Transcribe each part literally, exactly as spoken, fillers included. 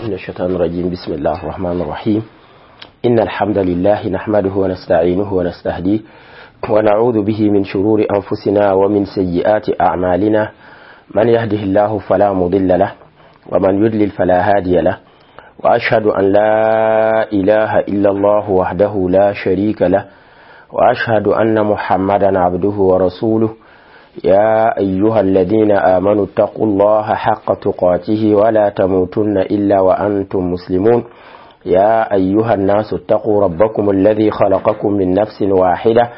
من الشيطان الرجيم. بسم الله الرحمن الرحيم. إن الحمد لله نحمده ونستعينه ونستهديه ونعوذ به من شرور أنفسنا ومن سيئات أعمالنا. من يهده الله فلا مضل له ومن يضلل فلا هادي له، وأشهد أن لا إله إلا الله وحده لا شريك له، وأشهد أن محمدا عبده ورسوله. يا أيها الذين آمنوا اتقوا الله حق تقاته ولا تموتن إلا وأنتم مسلمون. يا أيها الناس اتقوا ربكم الذي خلقكم من نفس واحدة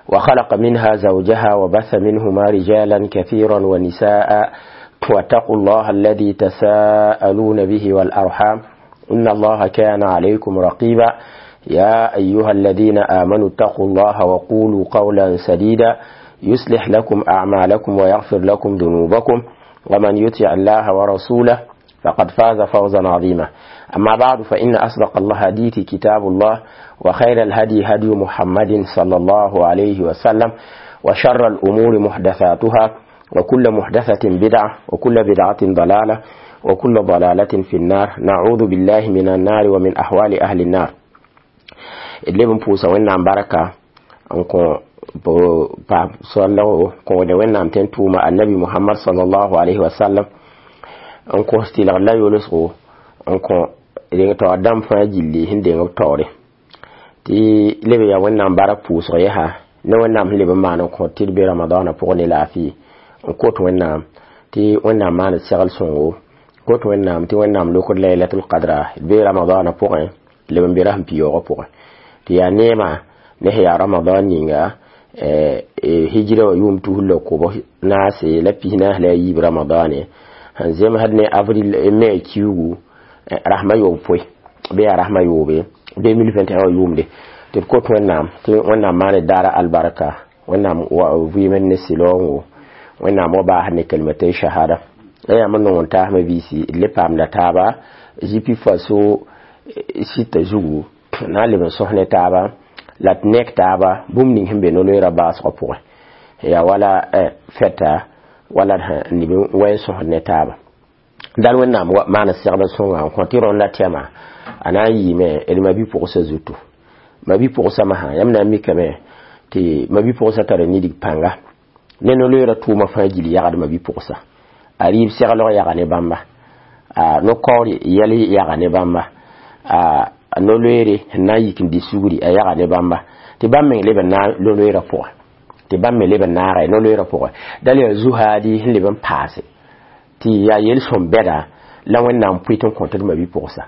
وخلق منها زوجها وبث منهما رجالا كثيرا ونساء، واتقوا الله الذي تساءلون به والأرحام إن الله كان عليكم رقيبا. يا أيها الذين آمنوا اتقوا الله وقولوا قولا سديدا يصلح لكم أعمالكم ويغفر لكم ذنوبكم، ومن يطع الله ورسوله فقد فاز فوزا عظيما. أما بعد، فإن أصدق الحديث كتاب الله، وخير الهدي هدي محمد صلى الله عليه وسلم، وشر الأمور محدثاتها، وكل محدثة بدعة، وكل بدعة ضلالة، وكل ضلالة في النار. نعوذ بالله من النار ومن أحوال أهل النار. اللي بنفوس وإن بركة أنكم pa sallahu kõ de wẽnnaam tẽn tʋʋma annabi Muhammad sallallahu alayhi wa sallam n kos tɩlg la yolsgo n kõ deng taoor dãmb fãa gilli sẽn deng b taoore tɩ leb yaa wẽnnaam bark pʋʋsg yɛsa ne wẽnnaam sẽn leb n maan n kõ tɩ d be ramadaanã pʋgẽ ne laafɩ n kot wẽnnaam tɩ wẽnnaam maan segl sõngo kot wẽnnaam tɩ wẽnnaam lokd laylatul qadra d be ramadaanã pʋgẽ leb n be rasẽn piyoogã pʋgẽ tɩ yaa neema ne sẽn yaa ramadan ninga hijira wa yʋʋm tus la kob naase la pis naas la a yiib ramadane sẽn zemsd ne avril mai kiugu rasma yoob poe bɩ yaa rasma yoobe deux mille vingt et un wa yʋʋmde tɩ d kot wẽnnaam tɩ wẽnnaam maan daara albarka wẽnnaam vɩɩmd ne sɩlaoongo wẽnnaam wa baasd ne kalmatay shahada la yãmb n nong n taasmã biisi d le paamda taaba zipi faso sita zugu na n leb n sõs ne taaba la d nek taaba bũmb ning sẽn be no-loeerã baasgã pʋgẽ yaa wala fɛta wala n leb n wa n sõsd ne taaba dal wẽnnaam maan segd sõnga n kõ tɩ rõnda tɛma a na n yɩɩme d mabi-pʋgsa zutu mabi-pʋgsa masã yãmb na n mikame tɩ mabi-pʋgsa tara nidig pãnga ne no-loeerã tʋʋma fãa gil yagd mabi-pʋgsa a rɩɩb seglg yaga ne bãmba a no-kaoor yɛl yaga ne bãmba a no-loeere sẽn na n yik n dɩ sugri a yaga ne bãmba tɩ bãmb meng leb n na no-loeerã pʋgẽ tɩ bãmb me leb n naaga no-loeerã pʋgẽ dal yaa zu-haadi sẽn leb n paase tɩ yaa yel-sõm bɛda la wẽnnaam pʋɩ tɩ n kõ tɩ d mabi-pʋgsa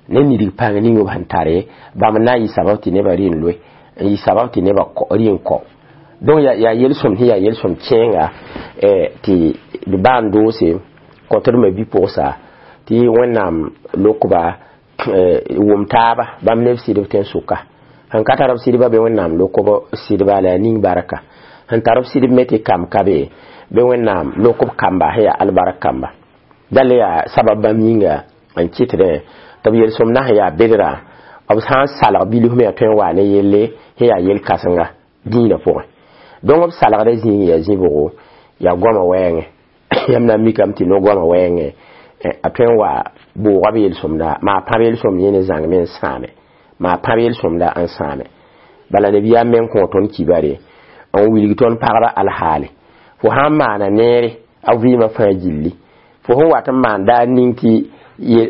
ne nidig pãng ning b sẽn tare bãmb n na n yɩ sabab tɩ nebã rɩ n loe n yɩ sabab tɩ nebã rɩ n kao donc yaa yel-sõm sẽn yaa yel-sõm kẽenga tɩ d baa n doose kõ tɩ d mabi-pʋgsa tɩ wẽnnaam lokba wʋm taaba bãmb neb sɩdb tẽn-sʋka sẽn ka tar b sɩdba bɩ wẽnnaam lokb sɩdba la a ning barka sẽn tar b sɩdb me tɩ kamb ka be bɩ wẽnnaam lokb kamba sẽn yaa albark kamba dal yaa sabab bãmb yĩnga n kɩtdẽ tɩ b yel-sõm na sẽn yaa bedra b sã n salg bilf me yaa tõe n waa ne yelle sẽn yaa yel-kãsenga dĩinã pʋgẽ donc b salgdã zĩig yaa zĩ-bʋgo yaa goamã wɛɛngẽ yãmb na n mikame tɩ no-goamã wɛɛngẽ a tõe n wa bʋʋga b yel-sõmda maa pãb yel-sõmd yẽ ne zãng me n sãame maa pãb yel-sõmda n sãame bala nabiyaam meng kõ tõnd kibare n wilg tõnd pagba alhaale fo sã n maana neere a vɩɩmã fãa gilli fo sẽn wat n maan daar ning tɩ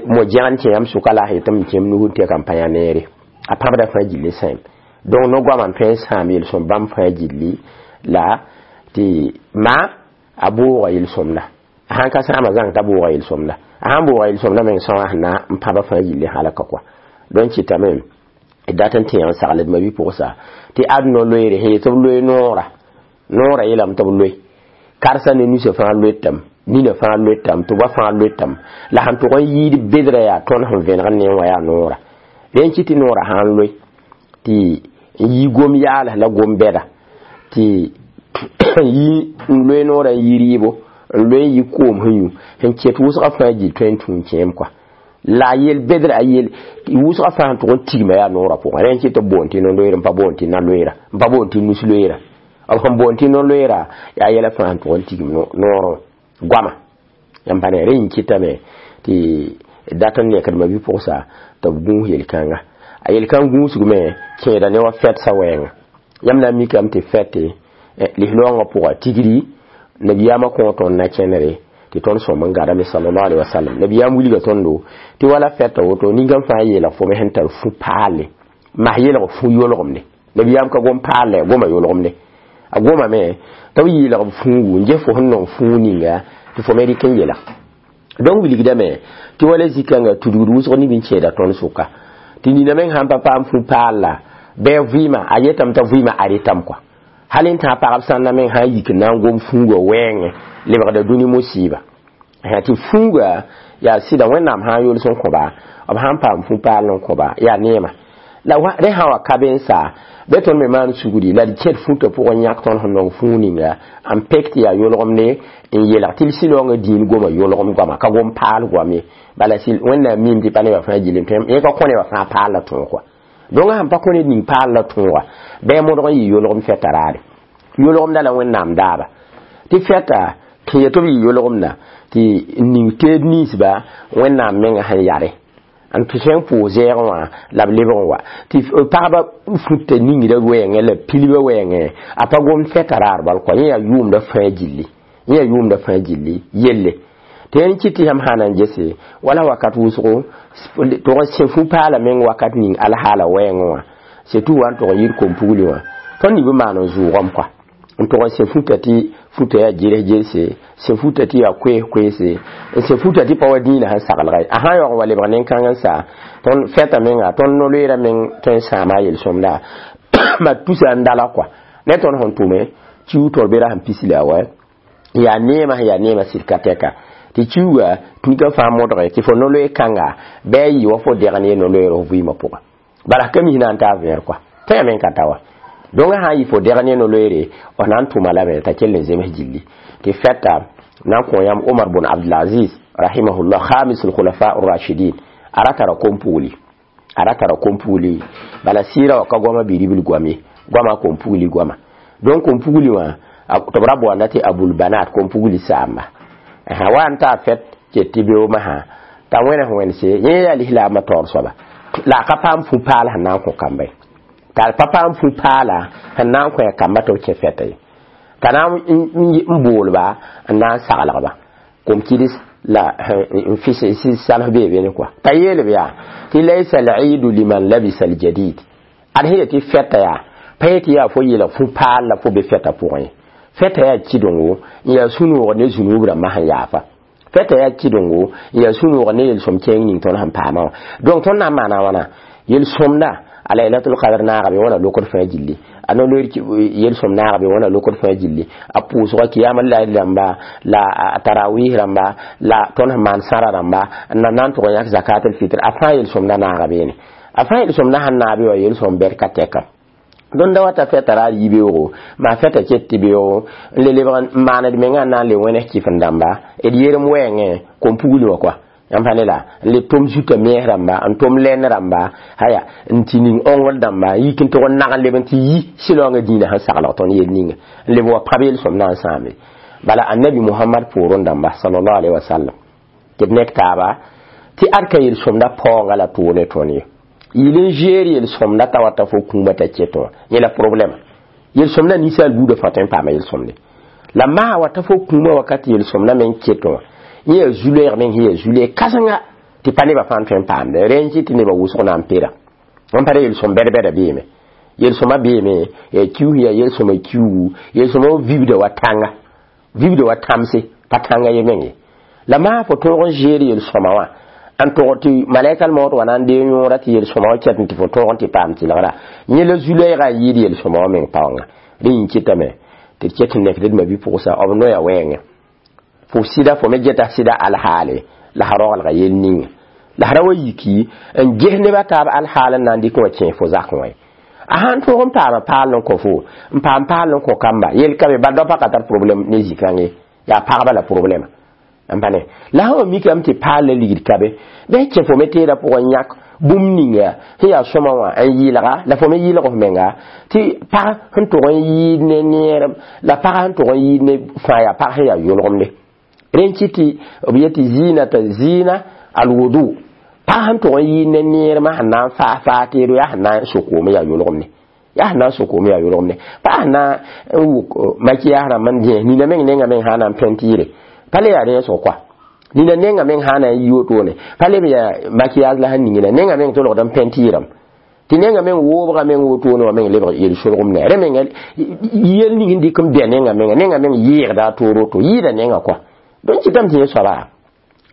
mo-gẽgd kẽ yãmb sʋka la a yetɩ m kẽem nug n tɛka n pa yã neere a pãbda fãa gilli sãem donc no-goamã n tõe n sãam yel-sõm bãmb fãa gilli la tɩ ma a bʋʋga yel-sõmda a sãn ka sãama zãng t'a bʋʋga yel-sõmda a sãn bʋʋga yel-sõmda meng sõa sẽn na n pãba fãa gilli halka kɔa donc kɩtame d dat n tẽ n sagl d mabi-pʋgsa tɩ ad no-loeere sẽn yetɩ b loe noora noora yeelame tɩ b loe karsa ne nusã fãa loetame nina fãa loetame tʋba fãa loetame la sẽn tʋg n yiid bedrã yaa tõnd sẽn vẽneg ne wã yaa noora rẽ n kɩ tɩ noora sã n loe tɩ n yi gom yaals la gom bɛda tɩ yi n loe noora n yi rɩɩbo n loe n yi koom sẽn yũ sẽn ket wʋsgã fãa gil tõe n tũ n kẽem kɔa la yel bedra a yel wʋsgã fãa sẽn tʋg n tigma yaa noorã pʋgẽ rẽ n kɩ tɩ b boond tɩ no-loeer n pa boond tɩ na-loeera n pa boond tɩ nus loeera b sẽn boond tɩ no-loeera yaa yɛla fãa sẽn tʋg n tigm noorẽ goama yãmb pa ne rẽ yĩn kɩtame tɩ Dat n nekd ma bi-pʋgsa tɩ b gũus yel-kãnga a yel-kãng gũusgme kẽeda ne wa fɛtsa wɛɛnga yãmb na n mikame tɩ fɛte lislaoongã pʋga tigri nabiyaamã kõ tõnd na kẽnere tɩ tõnd sõm n gadame sallallahu alaihi wasallam nabiyaam wilga tõndo tɩ wala fɛta woto ninkam fãa yeelg fo me sẽn tar fu paalle mas yelg fu yolgemde nabiyaam ka gom paalle goma yolgemde a gomame tɩ b yeelg b fũugu n ges fo sẽn nong fũu ninga tɩ fo me rɩk n yeelg donc wilgdame tɩ wala zikãngã tudgd wʋsg nib n kẽeda tõnd sʋka tɩ nina meng sãn pa paam fu paalla bɩ a vɩɩmã a yetame t'a vɩɩmã a retame kɔa hal n tã pagb sãnda meng sã n yik n na n gom fũugã wɛɛngẽ lebgda dũni musiiba tɩ fũuga yaa sɩda wẽnnaam sã n yols n kõba b sãn paam fu paal n kõba yaa neema la rẽ sã wa ka be n sa bɩ tõnd me maan sugri la d kẽd futã pʋgẽ yãk tõnd sẽn nong fũu ninga n pek tɩ yaa yolgemde n yelg tɩ l sɩlaoongã dĩin goma yolgem goama ka gom paal goam ye bala wẽnnaam miime tɩ pa nebã fãa gilem yẽ ka kõ nebã fãa paal la tõog kɔa donc sãn pa kõ ned ning paal la tõoga bɩ a modg n yɩ yolgem fɛta raare yolgemda la wẽnnaam daaba tɩ fɛta tɩ yetɩ b yɩ yolgemda tɩ ning teed ninsba wẽnnaam menga sẽn yare n tɩ sẽn pʋʋs zɛɛgẽ wã la b lebg n wa tɩ pagba futã ningdã wɛɛngẽ la pilbã wɛɛngẽ a pa gom fɛta raar bal kɔa yẽ yaa yʋʋmda fãa gilli yẽ yaa yʋʋmda fãa gilli yelle tɩ yẽn kɩt tɩ yãmb sã na n gese wala wakat wʋsgo tʋg n sẽ fu-paala meng wakat ning alhaala wɛɛngẽ wã surtout wa n tʋg n yir kom-pugli wã tõnd nib n maan n zʋʋgame kɔa n tʋg n sẽ futã tɩ futã yaa geres gerse sẽ futã tɩ yaa koees koeese n sẽ futã tɩ pa wa dĩinã sẽn saglga ye a sã n yaoog n wa lebg nen-kãng n sa tõnd fɛta menga tõnd no-loeera meng tõe n sãama a yel-sõmda ma tusa n dala kɔa ne tõnd sẽn tʋme kiu tol bera sẽn pis la wa yaa neema sẽn yaa neema sɩd ka tɛka tɩ kiuga tũka fãa modge tɩ fo no-loe kãnga bɩ a yɩ wa fo degn ye no-loeer f vɩɩmã pʋgã bala ka mis na n taa vẽer kɔa tõe meng ka ta wa donc sã n yɩ fo degn ye no-loeere f na n tʋma lame t'a kell n zems gilli tɩ fɛta na n kõ yãmb Omar bun Abdulaziz rahimahullah khamis al-khulafa ar-rashidin a ra tara kom-pugli a ra tara kom-pugli bala sɩɩra wa ka goama bi-ribl goam ye goama kom-pugli goama donc kom-pugli wã tɩ b ra boonda tɩ abul banat kom-pugli saamba wa n taa fɛt ket tɩ beoomã sã t'a wẽnes wẽnse yẽ yaa lislaamã taoor soaba la a ka paam fu-paal sẽn na n kõ kamba ye t'a pa paam fu-paala sẽn na n kõ a kamba tɩ b kẽ fɛta ye t'a na n boolba n na n saglgba kom-kids la n fis sals bee bene kɔa t'a yeelb yaa tɩ laysa al-iidu liman labisa al-jadid ad sẽn yetɩ fɛta yaa pa yetɩ yaa fo yeelg fu-paal la fo be fɛta pʋgẽ ye fɛta yaa kɩdengo n yaa sũ-noog ne zũnub rãmbã sẽn yaafa fɛta yaa kɩdengo n yaa sũ-noog ne yel-sõm kẽeng ning tõnd sẽn paamã wã donc tõnd na n maana wãna yel-sõmda a laylatul qadr naaga be wãna lokd fãa gilli a no-loeer yel-sõm naaga be wãna lokd fãa gilli a pʋʋsga kiyama layl rãmba la a tarawih rãmba la tõnd sẽn maan sãra rãmba n na na n tʋg n yãk zakatel fitr a fãa yel-sõmda naaga beene a fãa yel-sõmda sẽn naabe wã yel-sõm bɛd ka tɛka dõnd da wata fɛta raar yibeoogo maa fɛta ket tɩ beoogo n le lebg n maaned mengã n na n le wẽnes kɩf n dãmba d yerem wɛɛngẽ kom-pugli wã kɔa yãmb pa ne la n le tʋm zuta mees rãmba n tʋm lɛn rãmba aya n tɩ ning õngr dãmba n yik n tʋg n nag n leb n tɩ yi sɩlaoongã dĩinã sẽn saglg tõnd yel ninga n leb wa pãb yel-sõm na n sãame bala annabi muhammad poorẽ dãmba sallallahu alaihi wasallam tɩ d nek taaba tɩ ad ka yel-sõmda paoonga la toog ne tõnd ye yɩl n zeer yel-sõmda t'a wata fo kũumã t'a ket wã yẽ la problɛma yel-sõmda ninsaal buudã fãa tõe n paama yel-sõmde la maa wata fo kũumã wakat yel-sõmda meng ket wã yẽ yaa zu-loɛɛg meng sẽn yaa zu-loɛɛg kãsenga tɩ pa nebã fãa n tõe n paamde rẽ n kɩt tɩ nebã wʋsg na n pera n pa yel-sõm bɛd-bɛda beeme yel-sõma beeme yaa kius yaa yel-sõma kiugu yel-sõma vibda wa tãnga vibda wa tãmse pa tãnga ye meng ye la maa fo tõog n zeer yel-sõma wã n tʋg tɩ malɛkal maood wa na n dee yõora tɩ yel-sõma wã ket n tɩ fo tõog n tɩ paam tɩlgra yẽ la zu-loɛɛgã a yɩɩd yel-sõma wã meng paoonga rẽ yĩn kɩtame tɩ d ket n nekd d ma-bi-pʋgsa b noya wɛɛngẽ fo sɩda fo me geta sɩda alhaale la sã roglga yel ninga la sã ra wa yiki n ges nebã taab alhaal n na n dɩk wã kẽ fo zakẽ wã ye a sãn tõog n paama paal n kõ fo n paam paal n kõ kamba yel ka be bal daopa ka tar problème ne zĩ-kãng ye yaa pagba la problème n pa ne la sã wa mikame tɩ paal la ligd ka be bɩ kẽ fo me teedã pʋgẽ yãk bũmb ninga sẽn yaa sõma wã n yɩɩlga la fo me yɩɩlg f menga tɩ pag sẽn tʋg n yɩɩd ne neerem la pag sẽn tʋg n yɩɩd ne fãa yaa pag sẽn yaa yolgemde rẽ n kɩt tɩ b yetɩ zɩɩnata zɩɩna Alwudu pa sẽn tʋg n yɩ ne neermã sẽn na n faa faa teedo yaa sẽn na n sokoom yaa yolgem ne yaa sẽn na n sokoom yaa yolgem ne pa sẽn na n wʋk makiyaas rãmb n dẽ nina meng nenga meng sã na n pɛntɩɩre pa le yaa rẽesg koa nina nenga meng sã na n yi wotone pa leb yaa makiyaas la sẽn ningna nenga meng tolgd n pɛntɩɩrame tɩ nenga meng woobga meng wotone wã meng lebg yel-solgem ne rẽ menga yel ning n dɩk n bɛ nenga menga nenga meng yɩɩgda a toor woto yɩɩda nenga koa donc kɩtame tɩ yẽ soaba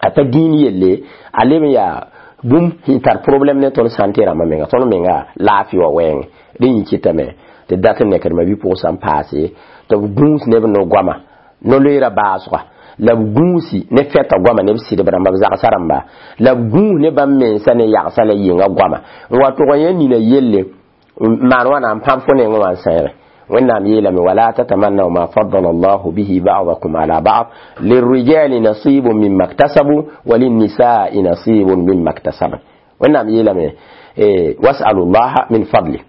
a pa dĩin yelle a leb n yaa bũmb sẽn tar problème ne tõnd sãnte rãmbã menga tõnd menga laafɩ wã wɛɛngẽ rẽ yĩ kɩtame tɩ dat n nekd ma-bi-pʋgsã n paase tɩ b gũus neb no-goama no-loeera baasga la b gũusi ne fɛta goama ne b sɩdb rãmba b zagsã rãmba la b gũus ne bãmb mensa ne yagsa la yɩnga goama n wa tʋg n yã nina yelle n maan wãna n pãb fo nengẽ wã n sẽege wẽnnaam yeelame wala tatamannaw ma faddala allahu bihi ba'dakum ala ba'd lirrijali nasibun mimma iktasabu wa linnisai nasibun mimma iktasabna wẽnnaam yeelame wasalu llaha min fadli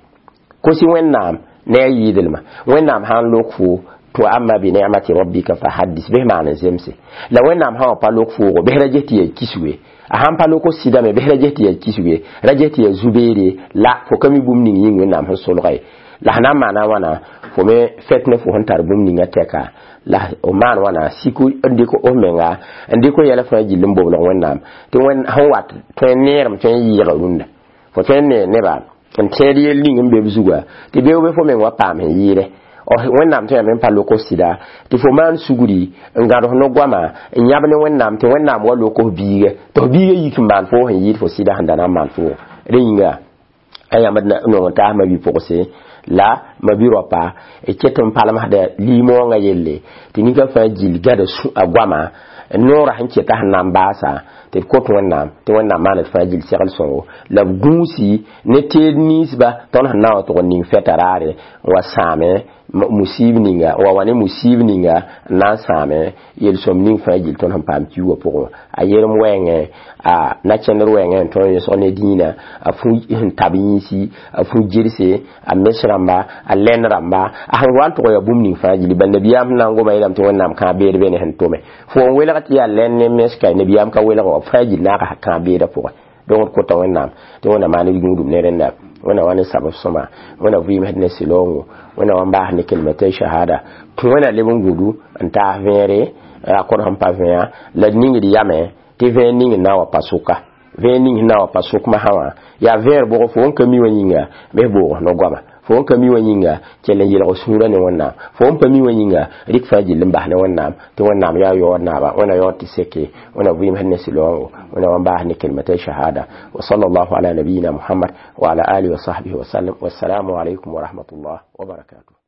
kosi wẽnnaam ne a yɩɩdlma wẽnnaam sã n lok fo to amma bi ni'mati rabbika fa haddis bɩs maan n zemse la wẽnnaam sã wã pa lok foogo bɩs ra ges tɩ yaa kisge a sãn pa lok sɩdame bɩs ra ges tɩ yaa kisge ra ges tɩ yaa zu-beere la fo ka mi bũmb ning yĩng wẽnnaam sẽn solga ye la sẽn na n maana wãna fo me fɛt ne fo sẽn tar bũmb ninga tɛka la f maan wãna sik n dɩk f menga n dɩk yɛla fãa gill n boblg wẽnnaam tɩ sẽn wat tõe n neerem tõe n yɩɩga rũndã fo tõe n nee neba n tẽed yell ning n be b zuga tɩ beoog be fo meng wa paam sẽn yɩɩdɛ wẽnnaam tõe yame n pa lok f sɩda tɩ fo maan sugri n gãd f no-goama n yãb ne wẽnnaam tɩ wẽnnaam wa lok f biiga tɩ f biiga yik n maan fo sẽn yɩɩd fo sɩda sẽn da na n maan foogo rẽ yĩnga a yãmb nong n taas ma-bi-pʋgse la ma-bi-raopa d ket n palmsda limoongã yelle tɩ ninka fãa gill gãda a goama noorã sẽn keta sẽn na n baasa tɩ d kot wẽnnaam tɩ wẽnnaam maan d fãa gill segl sõngo la b gũusi ne teed ninsba tõnd sẽn na n wa tʋg n ning fɛta raare n wa sãame musib ninga n wa wa ne musib ninga n na n sãame yel-sõm ning fãa gill tõnd sẽn paam kiuugã pʋgẽ wã a yerem wɛɛngẽ a na-kẽndr wɛɛngẽ n tõnd yõsg ne dĩinã a fũ sẽn tab yĩnsi a fũ gelse a mes rãmba a lɛn rãmba a sẽn wa n tʋg yaa bũmb ning fãa gilli bal nabiyaam sẽn na n goma yeelame tɩ wẽnnaam kãab beed be ne sẽn tome fo n welg tɩ yaa lɛn ne mes ka nabiyaam ka welg wa fãa gill naag kãab beedã pʋgẽ donc d kota wẽnnaam tɩ wẽnnaam maan d gũudum ne rẽnda wẽnnaam wa ne sabab sõma wẽnnaam vɩɩmsd ne sɩlaoongo wẽnnaam wa n baas ne kelmatay shahada wẽnnaam leb n gũdu n taas vẽere a kod sẽn pa vẽa la d ningd yame tɩ vẽer ning n na n wa pa sʋka vẽer ning sẽn na n wa pa sʋk masã wã yaa vẽer bʋg fo n ka mi wã yĩnga bɩs boog no-goama fo n ka mi wã yĩnga kell n yelg sũurã ne wẽnnaam fo n pa mi wã yĩnga rɩk fãa gill n bas ne wẽnnaam tɩ wẽnnaam yaa yaood naaba wẽnna yaood tɩ seke wẽnna vɩɩmsd ne sɩlaoongo wẽnna wa n baas ne kelmatay shahada wa sallallahu ala nabiyina muhammad wa ala alihi wa sahbihi wa sallam wassalamu alaykum wa rahmatullah wa barakatuh.